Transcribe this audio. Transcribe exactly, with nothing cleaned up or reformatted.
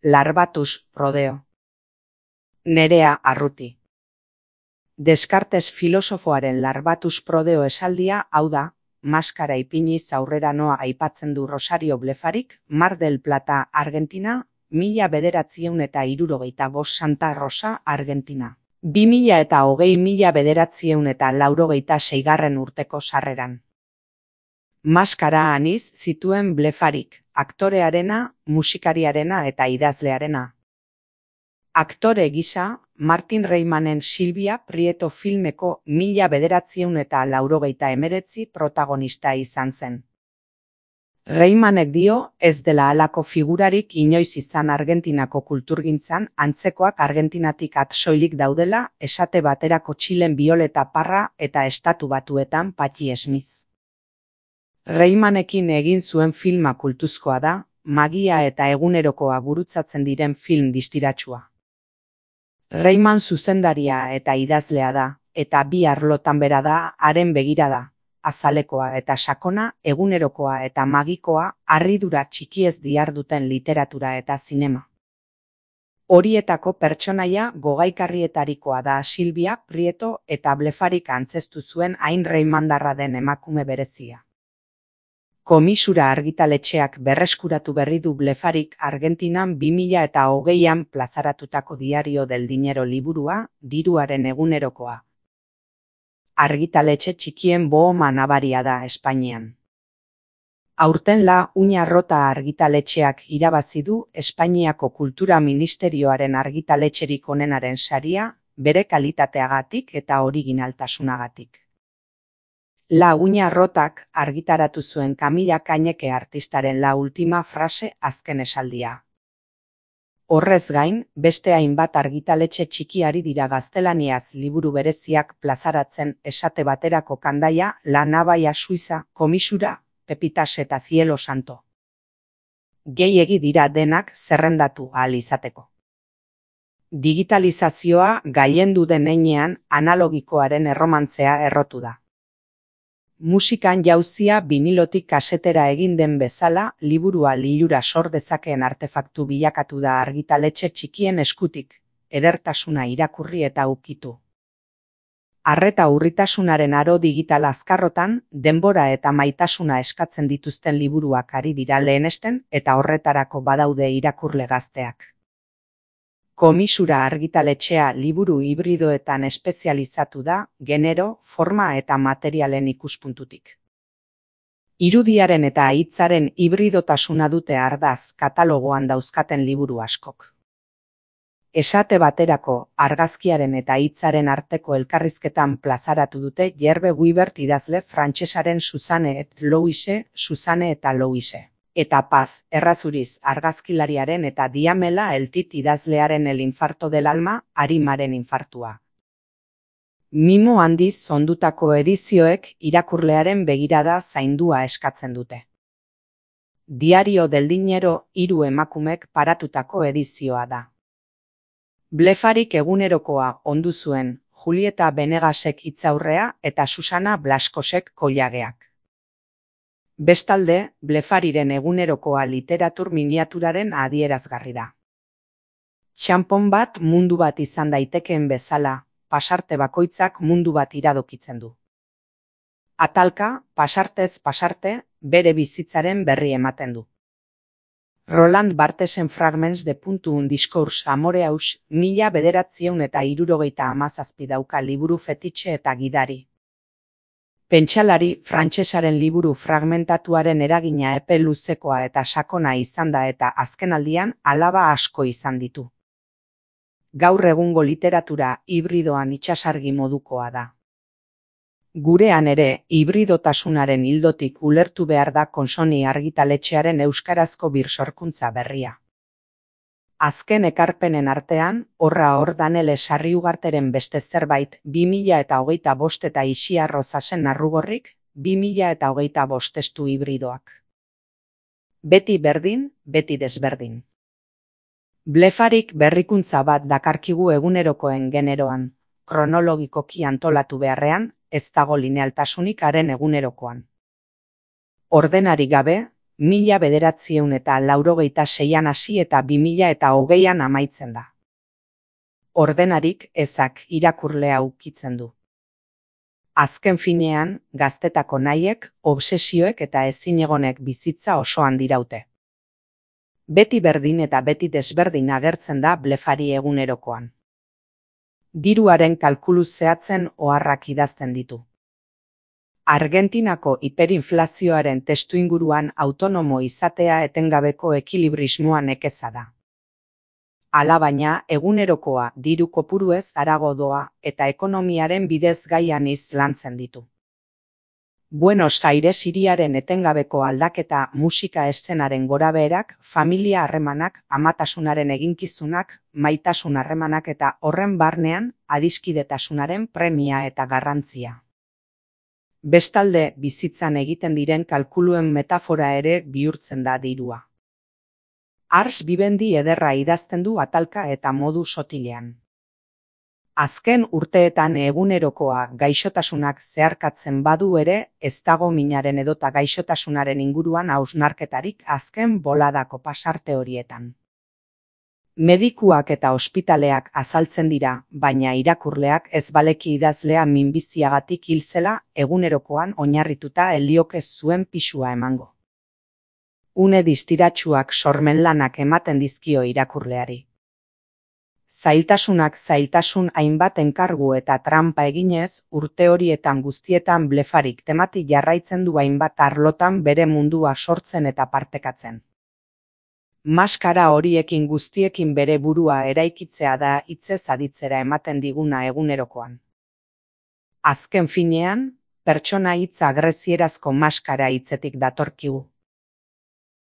Larbatus Prodeo. Nerea Arruti. Descartes filosofoaren Larbatus Prodeo esaldia hau da, maskara ipiniz aurrera noa aipatzen du Rosario Blefarik, Mar del Plata, Argentina, mila bederatziehun eta hirurogeita bost Santa Rosa, Argentina. Bi mila eta hogei mila bederatziehun eta laurogeita seigarren urteko sarreran. Maskara aniz zituen Blefarik, aktorearena, musikariarena eta idazlearena. Aktore gisa, Martin Reimanen Silvia Prieto filmeko mila bederatziehun eta laurogeita hemeretzi protagonista izan zen. Reimanek dio ez dela halako figurarik inoiz izan Argentinako kulturgintzan, antzekoak Argentinatik at soilik daudela, esate baterako Txilen Violeta Parra eta Estatu Batuetan Patxi Smith. Reimanekin egin zuen filma kultuzkoa da, magia eta egunerokoa gurutzatzen diren film distiratsua. Reiman zuzendaria eta idazlea da, eta bi arlotan bera da haren begirada, azalekoa eta sakona, egunerokoa eta magikoa, harridura txikiez diharduten literatura eta zinema. Horietako pertsonaia gogaikarrietarikoa da Silvia Prieto eta Blefarik antzestu zuen hain reimandarra den emakume berezia. Komisura argitaletxeak berreskuratu berri du Blefarik Argentinan bi mila eta hogeian plazaratutako Diario del Dinero liburua, diruaren egunerokoa. Argitaletxe txikien bohoma nabaria da Espainian. Aurten La Uña Rota argitaletxeak irabazi du Espainiako Kultura Ministerioaren argitaletxerik onenaren saria, bere kalitateagatik eta originaltasunagatik. La Uña Rotak argitaratu zuen Kamila Kaineke artistaren La Última Frase azken esaldia. Horrez gain, beste hainbat argitaletxe txiki ari dira gaztelaniaz liburu bereziak plazaratzen, esate baterako Kandaia, La Nabaia Suiza, Komisura, Pepitas eta Cielo Santo. Gehiegi dira denak zerrendatu ahal izateko. Digitalizazioa gailendu den heinean analogikoaren erromantzea errotu da. Musikan jauzia binilotik kasetera egin den bezala, liburua lilura sor dezakeen artefaktu bilakatu da argitaletxe txikien eskutik, edertasuna irakurri eta ukitu. Arreta urritasunaren aro digital azkarrotan, denbora eta maitasuna eskatzen dituzten liburuak ari dira lehenesten eta horretarako badaude irakurle gazteak. Komisura argitaletxea liburu hibridoetan espezializatu da, genero, forma eta materialen ikuspuntutik. Irudiaren eta hitzaren hibridotasuna dute ardaz katalogoan dauzkaten liburu askok. Esate baterako, argazkiaren eta hitzaren arteko elkarrizketan plazaratu dute Yerbe Guibert idazle frantsesaren Suzanne et Louise, Suzanne eta Louise. Eta Paz, errazuriz argazkilariaren eta Diamela Eltit idazlearen El infarto del alma, Arimaren infartua. Mimo handiz ondutako edizioek irakurlearen begirada zaindua eskatzen dute. Diario del Dinero hiru emakumek paratutako edizioa da. Blefarik egunerokoa ondu zuen, Julieta Benegasek hitzaurrea eta Susana Blaskosek kollageak. Bestalde, Blefariren egunerokoa literatur miniaturaren adierazgarri da. Txanpon bat mundu bat izan daitekeen bezala, pasarte bakoitzak mundu bat iradokitzen du. Atalka, pasartez pasarte, bere bizitzaren berri ematen du. Roland Barthesen Fragments de puntu un discours amoreus, mila bederatziehun eta hirurogeita hamazazpi dauka liburu fetitxe eta gidari. Pentsalari frantsesaren liburu fragmentatuaren eragina epe luzekoa eta sakona izan da eta azkenaldian alaba asko izan ditu. Gaur egungo literatura hibridoan itsasargi modukoa da. Gurean ere, hibridotasunaren ildotik ulertu behar da Konsoni argitaletxearen euskarazko birsorkuntza berria. Azken ekarpenen artean, horra hor Danele Sarriugarteren beste zerbait, bi mila eta hogeita bost eta Ixiar Rozasen Narrugorrik, bi mila eta hogeita bost testu hibridoak. Beti berdin, beti desberdin. Blefarik berrikuntza bat dakarkigu egunerokoen generoan, kronologikoki antolatu beharrean, ez dago linealtasunik haren egunerokoan. Ordenari gabe, mila bederatziehun eta laurogeita seian hasi eta bi mila eta hogeian amaitzen da. Ordenarik ezak irakurlea ukitzen du. Azken finean, gaztetako nahiek, obsesioek eta ezinegonek bizitza osoan diraute. Beti berdin eta beti desberdin agertzen da blefari egunerokoan. Diruaren kalkulu zehatzen oharrak idazten ditu. Argentinako hiperinflazioaren testuinguruan autonomo izatea etengabeko ekilibrismoa nekeza da. Alabaina, egunerokoa diru kopuruez harago doa eta ekonomiaren bidez gaian lantzen ditu. Buenos Aires hiriaren etengabeko aldaketa, musika eszenaren gorabeherak, familia harremanak, amatasunaren eginkizunak, maitasun harremanak eta horren barnean adiskidetasunaren premia eta garrantzia. Bestalde, bizitzan egiten diren kalkuluen metafora ere bihurtzen da dirua. Ars bibendi ederra idazten du atalka eta modu sotilean. Azken urteetan egunerokoa gaixotasunak zeharkatzen badu ere, ez dago minaren edota gaixotasunaren inguruan hausnarketarik azken boladako pasarte horietan. Medikuak eta ospitaleak azaltzen dira, baina irakurleak ez baleki idazlea minbiziagatik hil zela egunerokoan oinarrituta helioke zuen pisua emango. Une distiratsuak sormen lanak ematen dizkio irakurleari. Zailtasunak zailtasun hainbat enkargu eta trampa eginez, urte horietan guztietan blefarik temati jarraitzen du hainbat arlotan bere mundua sortzen eta partekatzen. Maskara horiekin guztiekin bere burua eraikitzea da hitzez aditzera ematen diguna egunerokoan. Azken finean, pertsona hitza agrezierazko maskara hitzetik datorkigu.